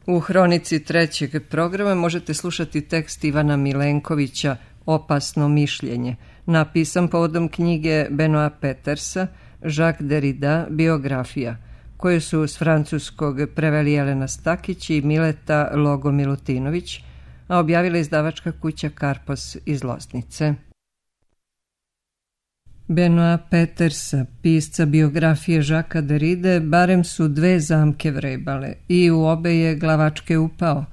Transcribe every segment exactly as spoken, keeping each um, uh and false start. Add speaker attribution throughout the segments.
Speaker 1: U hronici trećeg programa možete slušati tekst Ivana Milenkovića Opasno mišljenje, napisan povodom knjige Benoîta Petersa Jacques Derrida biografija, koju su s francuskog preveli Jelena Stakić i Mileta Logo Milutinović, a objavila izdavačka kuća Karpos iz Loznice. Benoîta Petersa, pisca biografije Jacquesa Derride, barem su dve zamke vrebale i u obe je glavačke upao.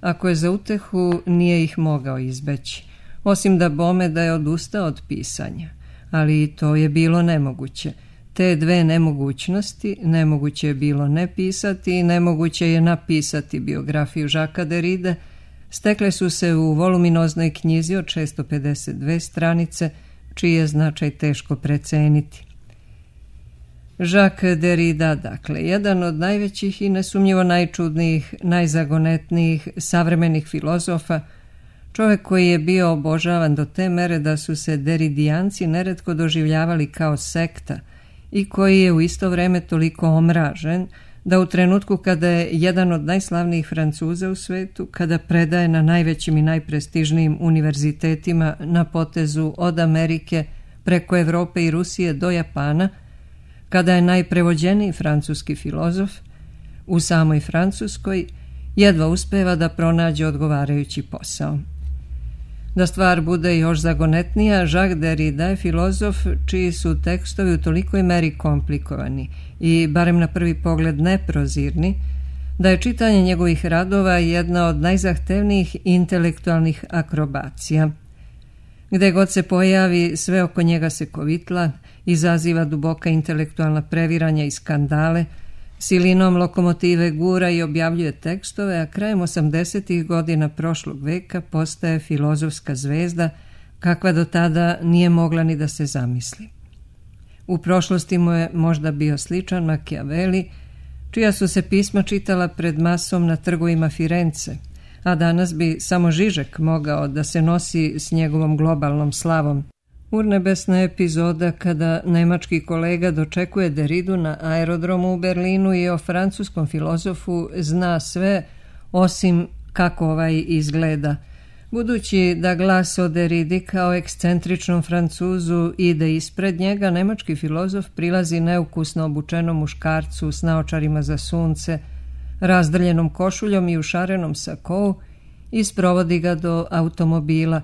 Speaker 1: Ako je za utehu, nije ih mogao izbeći, osim da bome da je odustao od pisanja. Ali i to je bilo nemoguće. Te dve nemogućnosti, nemoguće je bilo ne pisati i nemoguće je napisati biografiju Jacquesa Derride, stekle su se u voluminoznoj knjizi od šesto pedeset dve stranice, čiji je značaj teško preceniti. Jacques Derrida, dakle, jedan od najvećih i nesumnjivo najčudnijih, najzagonetnijih savremenih filozofa, čovjek koji je bio obožavan do te mere da su se deridijanci neretko doživljavali kao sekta i koji je u isto vrijeme toliko omražen da u trenutku kada je jedan od najslavnijih Francuza u svetu, kada predaje na najvećim i najprestižnijim univerzitetima na potezu od Amerike preko Evrope i Rusije do Japana, kada je najprevođeniji francuski filozof, u samoj Francuskoj jedva uspeva da pronađe odgovarajući posao. Da stvar bude još zagonetnija, Jacques Derrida je filozof čiji su tekstovi u tolikoj meri komplikovani i barem na prvi pogled neprozirni, da je čitanje njegovih radova jedna od najzahtevnijih intelektualnih akrobacija. Gde god se pojavi, sve oko njega se kovitla, izaziva duboka intelektualna previranja i skandale, silinom lokomotive gura i objavljuje tekstove, a krajem osamdesetih godina prošlog veka postaje filozofska zvezda kakva do tada nije mogla ni da se zamisli. U prošlosti mu je možda bio sličan Machiavelli, čija su se pisma čitala pred masom na trgovima Firence, a danas bi samo Žižek mogao da se nosi s njegovom globalnom slavom. Urnebesna epizoda kada nemački kolega dočekuje Derridu na aerodromu u Berlinu i o francuskom filozofu zna sve osim kako ovaj izgleda. Budući da glas o Derridi kao ekscentričnom Francuzu ide ispred njega, nemački filozof prilazi neukusno obučenom muškarcu s naočarima za sunce, razdrljenom košuljom i u šarenom sakou i sprovodi ga do automobila,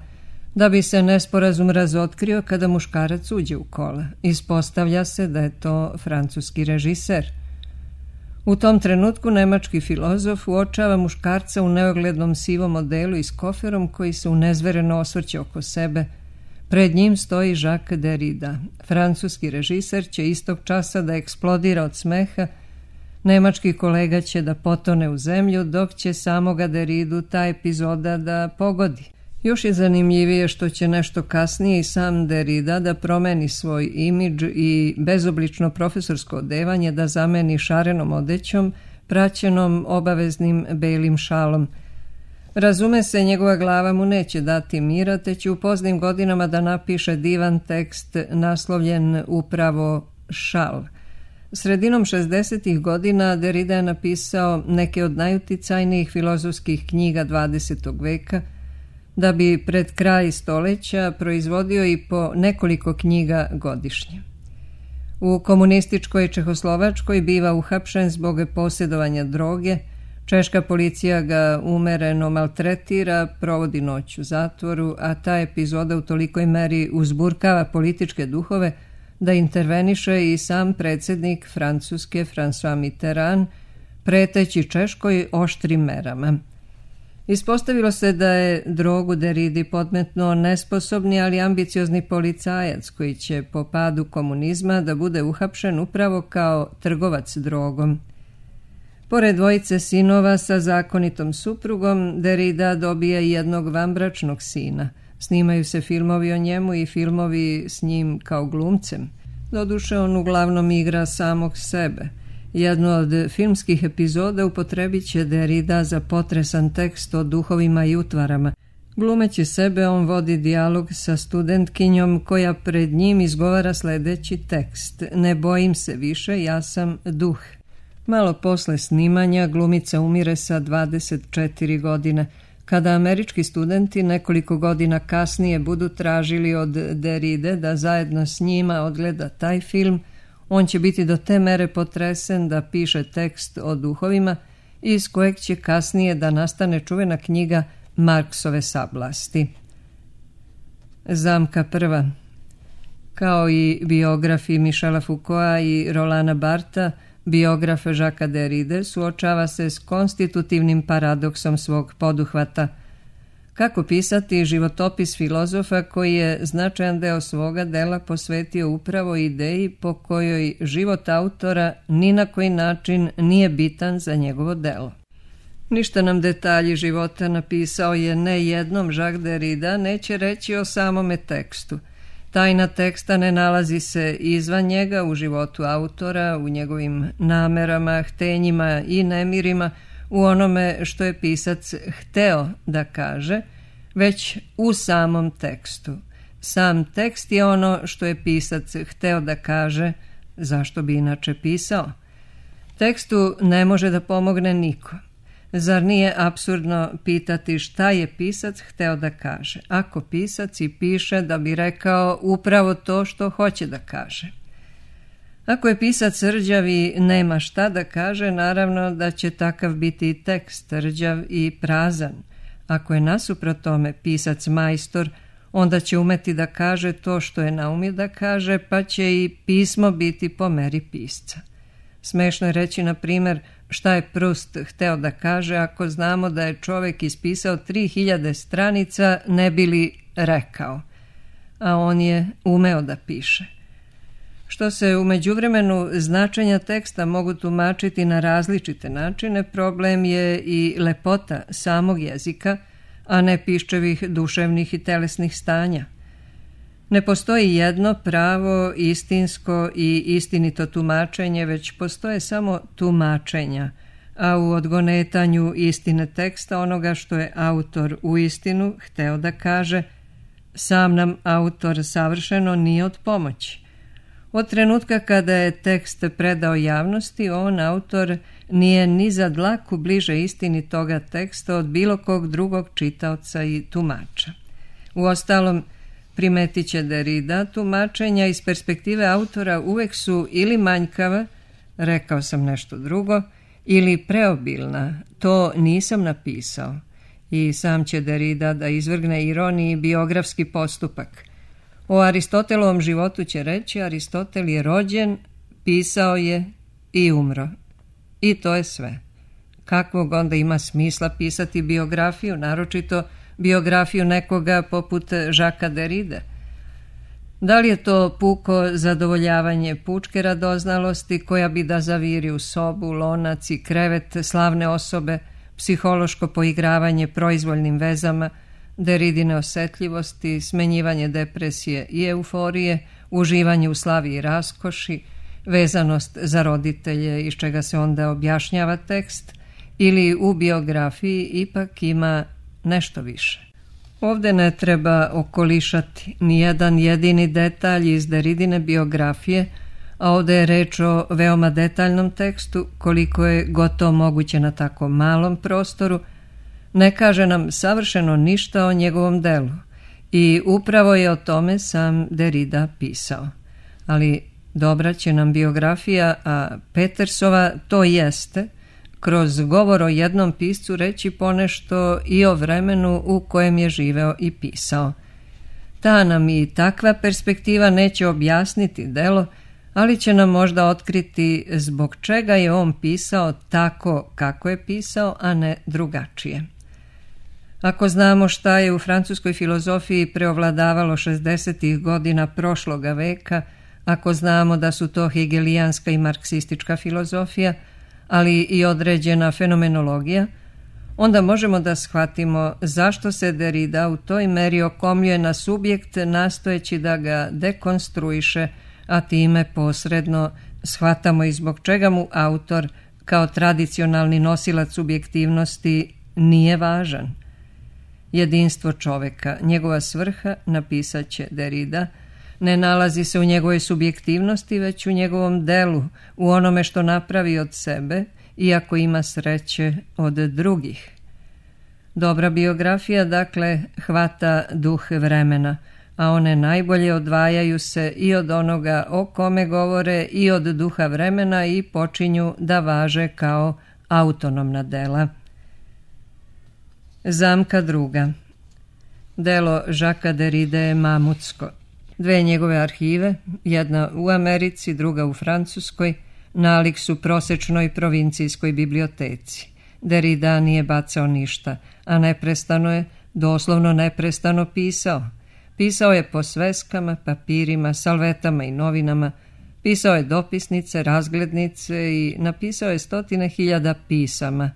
Speaker 1: da bi se nesporazum razotkrio kada muškarac uđe u kola. Ispostavlja se da je to francuski režiser. U tom trenutku nemački filozof uočava muškarca u neoglednom sivom odelu i s koferom koji se unezvereno osvrće oko sebe. Pred njim stoji Jacques Derrida. Francuski režiser će istog časa da eksplodira od smeha, nemački kolega će da potone u zemlju, dok će samoga Derridu ta epizoda da pogodi. Još je zanimljivije što će nešto kasnije i sam Derrida da promeni svoj imidž i bezoblično profesorsko odevanje da zameni šarenom odećom, praćenom obaveznim belim šalom. Razume se, njegova glava mu neće dati mira, te će u poznim godinama da napiše divan tekst naslovljen upravo Šal. Sredinom šezdesetih godina Derrida je napisao neke od najuticajnijih filozofskih knjiga dvadesetog veka, da bi pred kraj stoleća proizvodio i po nekoliko knjiga godišnje. U komunističkoj Čehoslovačkoj biva uhapšen zbog posjedovanja droge, češka policija ga umereno maltretira, provodi noć u zatvoru, a ta epizoda u tolikoj meri uzburkava političke duhove da interveniše i sam predsjednik Francuske François Mitterrand, preteći Češkoj oštrim merama. Ispostavilo se da je drogu Derridi podmetnuo nesposobni, ali ambiciozni policajac koji će po padu komunizma da bude uhapšen upravo kao trgovac drogom. Pored dvojice sinova sa zakonitom suprugom, Derrida dobija i jednog vanbračnog sina. Snimaju se filmovi o njemu i filmovi s njim kao glumcem. Doduše, on uglavnom igra samog sebe. Jednu od filmskih epizoda upotrebit će Derrida za potresan tekst o duhovima i utvarama. Glumeći sebe, on vodi dijalog sa studentkinjom koja pred njim izgovara sljedeći tekst: "Ne bojim se više, ja sam duh." Malo posle snimanja glumica umire sa dvadeset četiri godine. Kada američki studenti nekoliko godina kasnije budu tražili od Derride da zajedno s njima odgleda taj film, on će biti do te mere potresen da piše tekst o duhovima, iz kojeg će kasnije da nastane čuvena knjiga Marksove sablasti. Zamka prva. Kao i biografi Michela Foucaulta i Rolana Bartha, biograf Jacquesa Derride suočava se s konstitutivnim paradoksom svog poduhvata. Kako pisati životopis filozofa koji je značajan deo svoga dela posvetio upravo ideji po kojoj život autora ni na koji način nije bitan za njegovo delo. Ništa nam detalji života, napisao je ne jednom Jacques Derrida, neće reći o samome tekstu. Tajna teksta ne nalazi se izvan njega, u životu autora, u njegovim namerama, htenjima i nemirima, u onome što je pisac hteo da kaže, već u samom tekstu. Sam tekst je ono što je pisac hteo da kaže, zašto bi inače pisao. Tekstu ne može da pomogne niko. Zar nije apsurdno pitati šta je pisac hteo da kaže, ako pisac i piše da bi rekao upravo to što hoće da kaže? Ako je pisac rđav i nema šta da kaže, naravno da će takav biti i tekst rđav i prazan. Ako je nasuprot tome pisac majstor, onda će umeti da kaže to što je naumio da kaže, pa će i pismo biti po meri pisca. Smešno je reći, na primjer, šta je Proust hteo da kaže ako znamo da je čovek ispisao tri hiljade stranica ne bi li rekao, a on je umeo da piše. Što se u međuvremenu značenja teksta mogu tumačiti na različite načine, problem je i lepota samog jezika, a ne piščevih duševnih i telesnih stanja. Ne postoji jedno pravo, istinsko i istinito tumačenje, već postoje samo tumačenja, a u odgonetanju istine teksta onoga što je autor u istinu hteo da kaže, sam nam autor savršeno nije od pomoći. Od trenutka kada je tekst predao javnosti, on, autor, nije ni za dlaku bliže istini toga teksta od bilo kog drugog čitaoca i tumača. Uostalom, primetit će Derrida, tumačenja iz perspektive autora uvek su ili manjkava, rekao sam nešto drugo, ili preobilna, to nisam napisao. I sam će Derrida da izvrgne ironiji biografski postupak. O Aristotelovom životu će reći, Aristotel je rođen, pisao je i umro. I to je sve. Kakvog onda ima smisla pisati biografiju, naročito biografiju nekoga poput Jacquesa Derride? Da li je to puko zadovoljavanje pučke radoznalosti koja bi da zaviri u sobu, lonac i krevet slavne osobe, psihološko poigravanje proizvoljnim vezama, Derridine osetljivosti, smenjivanje depresije i euforije, uživanje u slavi i raskoši, vezanost za roditelje iz čega se onda objašnjava tekst, ili u biografiji ipak ima nešto više. Ovde ne treba okolišati ni jedan jedini detalj iz Derridine biografije, a ovde je reč o veoma detaljnom tekstu, koliko je gotovo moguće na tako malom prostoru, ne kaže nam savršeno ništa o njegovom delu i upravo je o tome sam Derrida pisao. Ali dobra će nam biografija, a Petersova to jeste, kroz govor o jednom piscu reći ponešto i o vremenu u kojem je živeo i pisao. Ta nam i takva perspektiva neće objasniti delo, ali će nam možda otkriti zbog čega je on pisao tako kako je pisao, a ne drugačije. Ako znamo šta je u francuskoj filozofiji preovladavalo šezdesetih godina prošloga veka, ako znamo da su to hegelijanska i marksistička filozofija, ali i određena fenomenologija, onda možemo da shvatimo zašto se Derrida u toj meri okomljuje na subjekt nastojeći da ga dekonstruiše, a time posredno shvatamo i zbog čega mu autor kao tradicionalni nosilac subjektivnosti nije važan. Jedinstvo čoveka, njegova svrha, napisat će Derrida, Ne nalazi se u njegovoj subjektivnosti, već u njegovom delu, u onome što napravi od sebe, iako ima sreće od drugih. Dobra biografija, dakle, hvata duh vremena, a one najbolje odvajaju se i od onoga o kome govore i od duha vremena i počinju da važe kao autonomna dela. Zamka druga. Delo Žaka Deride je mamutsko. Dve njegove arhive, jedna u Americi, druga u Francuskoj, nalik su prosečnoj provincijskoj biblioteci. Derrida nije bacao ništa, a neprestano je, doslovno neprestano pisao. Pisao je po sveskama, papirima, salvetama i novinama, pisao je dopisnice, razglednice i napisao je stotine hiljada pisama.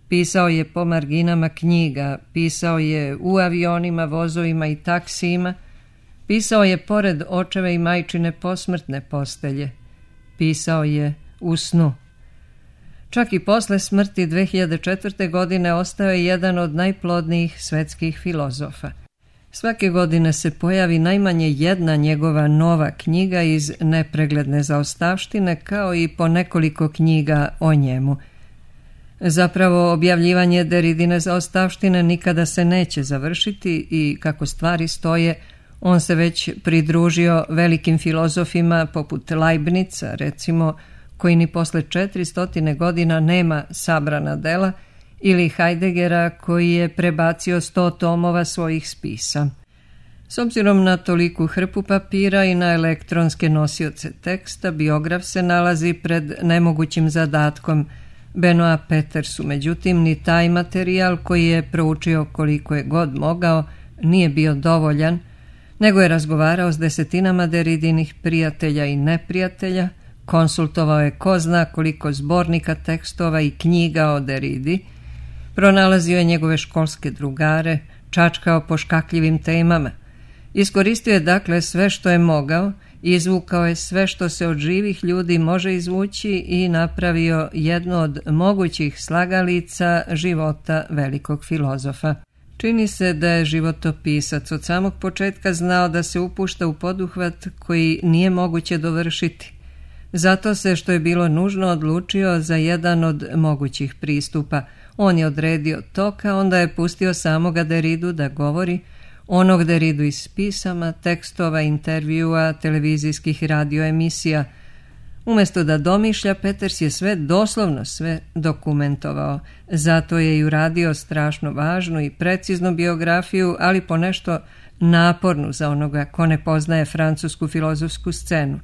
Speaker 1: Pisao je po marginama knjiga, pisao je u avionima, vozovima i taksijima, pisao je pored očeve i majčine posmrtne postelje, pisao je u snu. Čak i posle smrti dve hiljade četvrte. godine ostao je jedan od najplodnijih svetskih filozofa. Svake godine se pojavi najmanje jedna njegova nova knjiga iz nepregledne zaostavštine, kao i po nekoliko knjiga o njemu. Zapravo, objavljivanje Derridine zaostavštine nikada se neće završiti i, kako stvari stoje, on se već pridružio velikim filozofima poput Leibnica, recimo, koji ni posle četiristotine godina nema sabrana dela, ili Heideggera, koji je prebacio sto tomova svojih spisa. S obzirom na toliku hrpu papira i na elektronske nosioce teksta, biograf se nalazi pred nemogućim zadatkom. Benoit Petersu, međutim, ni taj materijal koji je proučio koliko je god mogao nije bio dovoljan, nego je razgovarao s desetinama Derridinih prijatelja i neprijatelja, konsultovao je ko zna koliko zbornika tekstova i knjiga o Derridi, pronalazio je njegove školske drugare, čačkao po škakljivim temama. Iskoristio je dakle sve što je mogao, izvukao je sve što se od živih ljudi može izvući i napravio jednu od mogućih slagalica života velikog filozofa. Čini se da je životopisac od samog početka znao da se upušta u poduhvat koji nije moguće dovršiti. Zato se, što je bilo nužno, odlučio za jedan od mogućih pristupa. On je odredio tok, a onda je pustio samoga Derridu da govori, onog Derridu iz pisama, tekstova, intervjua, televizijskih i radio emisija. Umjesto da domišlja, Peters je sve, doslovno sve, dokumentovao. Zato je i uradio strašno važnu i preciznu biografiju, ali ponešto napornu za onoga ko ne poznaje francusku filozofsku scenu.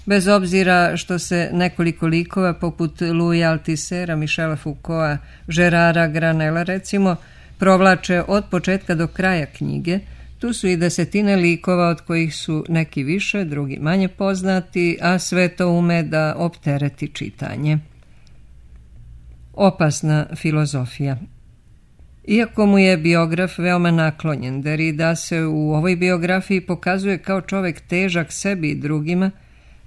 Speaker 1: Bez obzira što se nekoliko likova poput Louisa Althusera, Michela Foucaulta, Gerarda Granella recimo provlače od početka do kraja knjige, tu su i desetine likova od kojih su neki više, drugi manje poznati, a sve to ume da optereti čitanje. Opasna filozofija. Iako mu je biograf veoma naklonjen, Derrida se u ovoj biografiji pokazuje kao čovek težak sebi i drugima,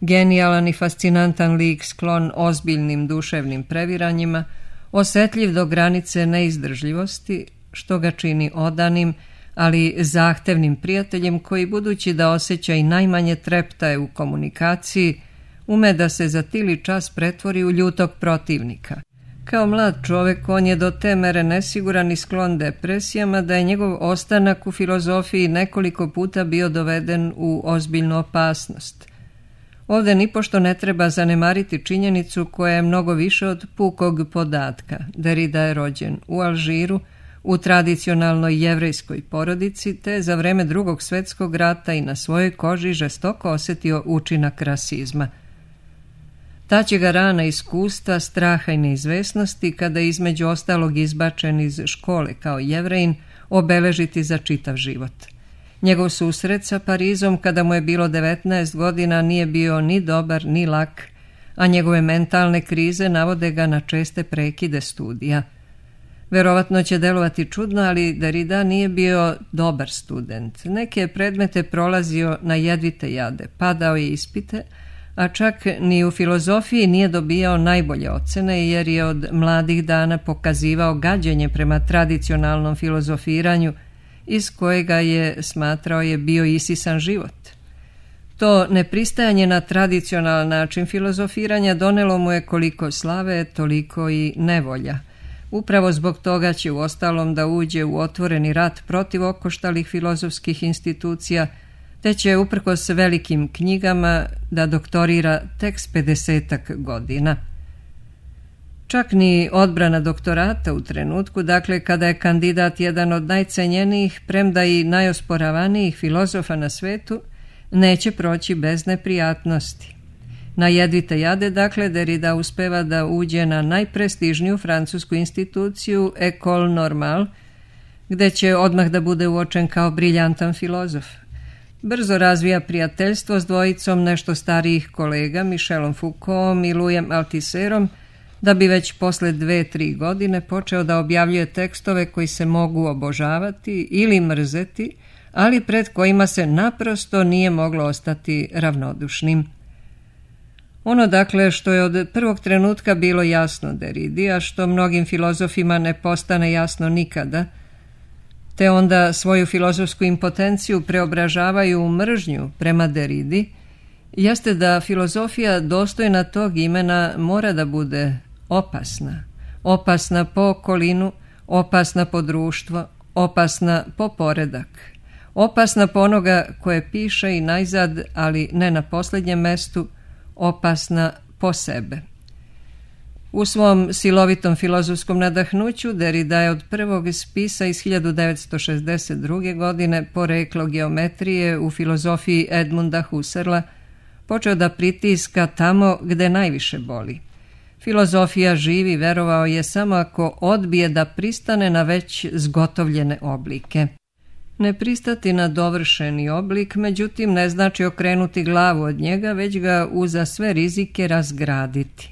Speaker 1: genijalan i fascinantan lik sklon ozbiljnim duševnim previranjima, osetljiv do granice neizdržljivosti, što ga čini odanim, ali zahtevnim prijateljem koji, budući da osjeća i najmanje treptaje u komunikaciji, ume da se za tili čas pretvori u ljutog protivnika. Kao mlad čovek on je do te mere nesiguran i sklon depresijama da je njegov ostanak u filozofiji nekoliko puta bio doveden u ozbiljnu opasnost. Ovde nipošto ne treba zanemariti činjenicu koja je mnogo više od pukog podatka. Derrida je rođen u Alžiru, u tradicionalnoj jevrejskoj porodici, te za vreme Drugog svjetskog rata i na svojoj koži žestoko osjetio učinak rasizma. Ta će ga rana iskustva, straha i neizvesnosti, kada je između ostalog izbačen iz škole kao Jevrejin, obeležiti za čitav život. Njegov susret sa Parizom kada mu je bilo devetnaest godina nije bio ni dobar ni lak, a njegove mentalne krize navode ga na česte prekide studija. Verovatno će delovati čudno, ali Derrida nije bio dobar student. Neke predmete prolazio na jedvite jade, padao je ispite, a čak ni u filozofiji nije dobijao najbolje ocene jer je od mladih dana pokazivao gađenje prema tradicionalnom filozofiranju iz kojega je, smatrao je, bio isisan život. To nepristajanje na tradicionalan način filozofiranja donelo mu je koliko slave, toliko i nevolja. Upravo zbog toga će uostalom da uđe u otvoreni rat protiv okoštalih filozofskih institucija, te će uprkos velikim knjigama da doktorira tek s pedesetak godina. Čak ni odbrana doktorata u trenutku, dakle kada je kandidat jedan od najcenjenijih, premda i najosporavanijih filozofa na svetu, neće proći bez neprijatnosti. Na jedvite jade, dakle, Derrida uspeva da uđe na najprestižniju francusku instituciju École Normale, gde će odmah da bude uočen kao briljantan filozof. Brzo razvija prijateljstvo s dvojicom nešto starijih kolega, Michelom Foucaultom i Louisom Althusserom, da bi već posle dve, tri godine počeo da objavljuje tekstove koji se mogu obožavati ili mrzeti, ali pred kojima se naprosto nije moglo ostati ravnodušnim. Ono, dakle, što je od prvog trenutka bilo jasno Derridi, a što mnogim filozofima ne postane jasno nikada, te onda svoju filozofsku impotenciju preobražavaju u mržnju prema Derridi, jeste da filozofija dostojna tog imena mora da bude opasna. Opasna po okolinu, opasna po društvo, opasna po poredak. Opasna po onoga koje piše i najzad, ali ne na posljednjem mestu, opasna po sebe. U svom silovitom filozofskom nadahnuću Derrida je od prvog spisa iz hiljadu devetsto šezdeset druge. godine Poreklo geometrije u filozofiji Edmunda Husserla počeo da pritiska tamo gde najviše boli. Filozofija živi, verovao je, samo ako odbije da pristane na već zgotovljene oblike. Ne pristati na dovršeni oblik, međutim, ne znači okrenuti glavu od njega, već ga uza sve rizike razgraditi.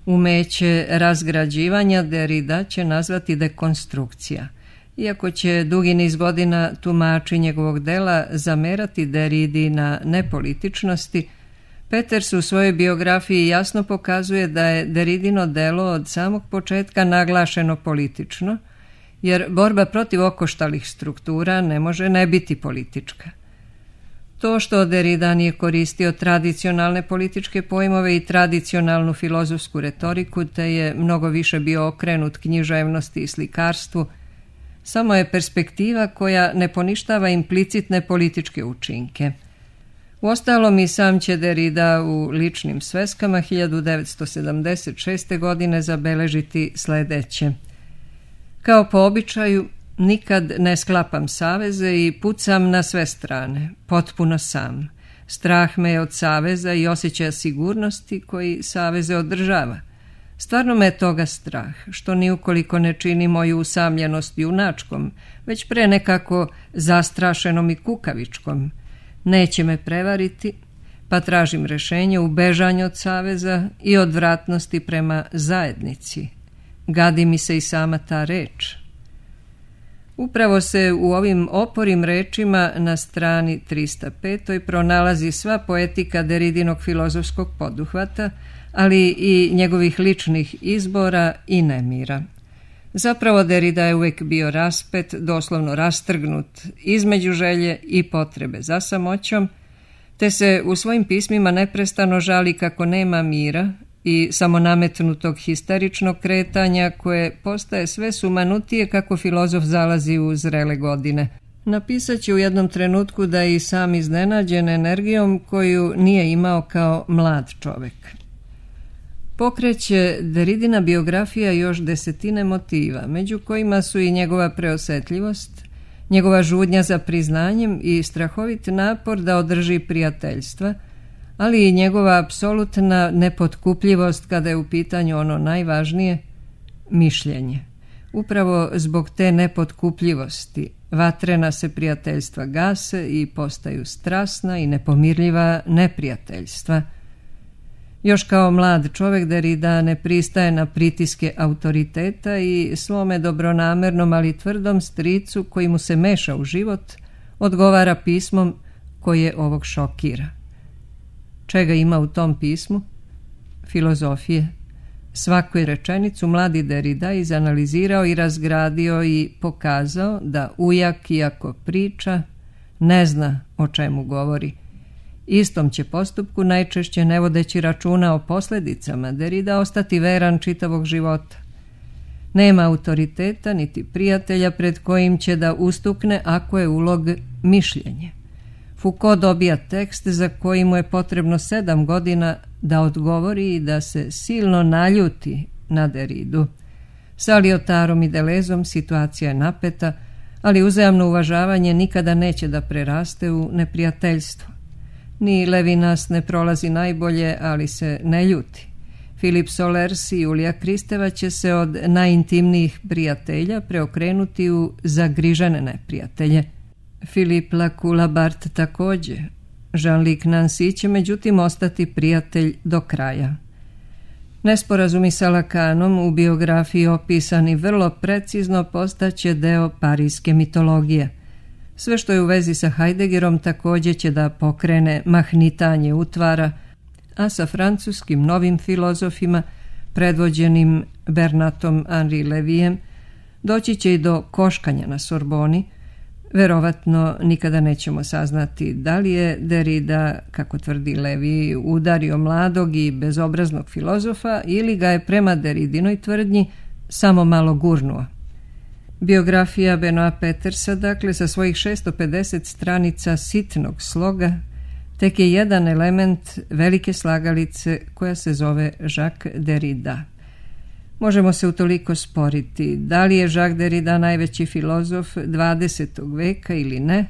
Speaker 1: Umeće razgrađivanja Derrida će nazvati dekonstrukcija. Iako će dugi niz godina tumači njegovog dela zamerati Derridi na nepolitičnosti, Peters u svojoj biografiji jasno pokazuje da je Derridino delo od samog početka naglašeno politično, jer borba protiv okoštalih struktura ne može ne biti politička. To što Derrida nije koristio tradicionalne političke pojmove i tradicionalnu filozofsku retoriku, te je mnogo više bio okrenut književnosti i slikarstvu, samo je perspektiva koja ne poništava implicitne političke učinke. Uostalom i sam će Derrida u ličnim sveskama hiljadu devetsto sedamdeset šeste. godine zabeležiti sledeće. Kao po običaju, nikad ne sklapam saveze i pucam na sve strane, potpuno sam. Strah me je od saveza i osjećaja sigurnosti koji saveze održava. Stvarno me je toga strah, što ni ukoliko ne čini moju usamljenost junačkom, već pre nekako zastrašenom i kukavičkom. Neće me prevariti, pa tražim rešenje u bežanju od saveza i odvratnosti prema zajednici. Gadi mi se i sama ta reč. Upravo se u ovim oporim rečima na strani trista pet. pronalazi sva poetika Derridinog filozofskog poduhvata, ali i njegovih ličnih izbora i nemira. Zapravo Derrida je uvek bio raspet, doslovno rastrgnut između želje i potrebe za samoćom, te se u svojim pismima neprestano žali kako nema mira i samonametnutog histeričnog kretanja koje postaje sve sumanutije kako filozof zalazi u zrele godine. Napisat će u jednom trenutku da je i sam iznenađen energijom koju nije imao kao mlad čovek. Pokreće Derridina biografija još desetine motiva, među kojima su i njegova preosetljivost, njegova žudnja za priznanjem i strahovit napor da održi prijateljstva, ali i njegova apsolutna nepotkupljivost kada je u pitanju ono najvažnije, mišljenje. Upravo zbog te nepotkupljivosti vatrena se prijateljstva gase i postaju strasna i nepomirljiva neprijateljstva. Još kao mlad čovek Derrida ne pristaje na pritiske autoriteta i svome dobronamernom, ali tvrdom stricu koji mu se meša u život, odgovara pismom koje ovog šokira. Čega ima u tom pismu? Filozofije. Svaku je rečenicu mladi Derrida izanalizirao i razgradio i pokazao da ujak, iako priča, ne zna o čemu govori Istom će postupku, najčešće ne vodeći računa o posljedicama, Derrida ostati veran čitavog života. Nema autoriteta niti prijatelja pred kojim će da ustukne ako je ulog mišljenje. Foucault dobija tekst za koji mu je potrebno sedam godina da odgovori i da se silno naljuti na Derridu. Sa Lyotarom i Delezom situacija je napeta, ali uzajamno uvažavanje nikada neće da preraste u neprijateljstvo. Ni Levinas ne prolazi najbolje, ali se ne ljuti. Philippe Solers i Julija Kristeva će se od najintimnijih prijatelja preokrenuti u zagrižene neprijatelje. Philippe Lacoue-Labarthe također. Jean-Luc Nancy će međutim ostati prijatelj do kraja. Nesporazumi sa Lacanom, u biografiji opisani vrlo precizno, postaće deo parijske mitologije. Sve što je u vezi sa Heideggerom također će da pokrene mahnitanje utvara, a sa francuskim novim filozofima, predvođenim Bernatom Henri Levijem, doći će i do koškanja na Sorboni. Verovatno nikada nećemo saznati da li je Derrida, kako tvrdi Levi, udario mladog i bezobraznog filozofa ili ga je prema Derridinoj tvrdnji samo malo gurnuo. Biografija Benoît Petersa, dakle, sa svojih šesto pedeset stranica sitnog sloga, tek je jedan element velike slagalice koja se zove Jacques Derrida. Možemo se utoliko sporiti da li je Jacques Derrida najveći filozof dvadesetog veka ili ne,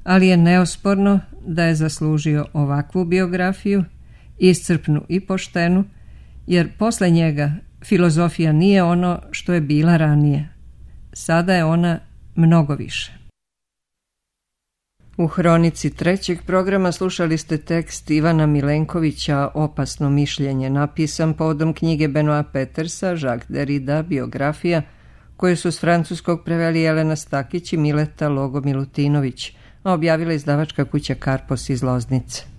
Speaker 1: ali je neosporno da je zaslužio ovakvu biografiju, iscrpnu i poštenu, jer posle njega filozofija nije ono što je bila ranije. Sada je ona mnogo više. U hronici trećeg programa slušali ste tekst Ivana Milenkovića Opasno mišljenje, napisan povodom knjige Benoît Petersa Jacques Derrida, biografija, koju su s francuskog preveli Jelena Stakić i Mileta Logo Milutinović, a objavila izdavačka kuća Karpos iz Loznice.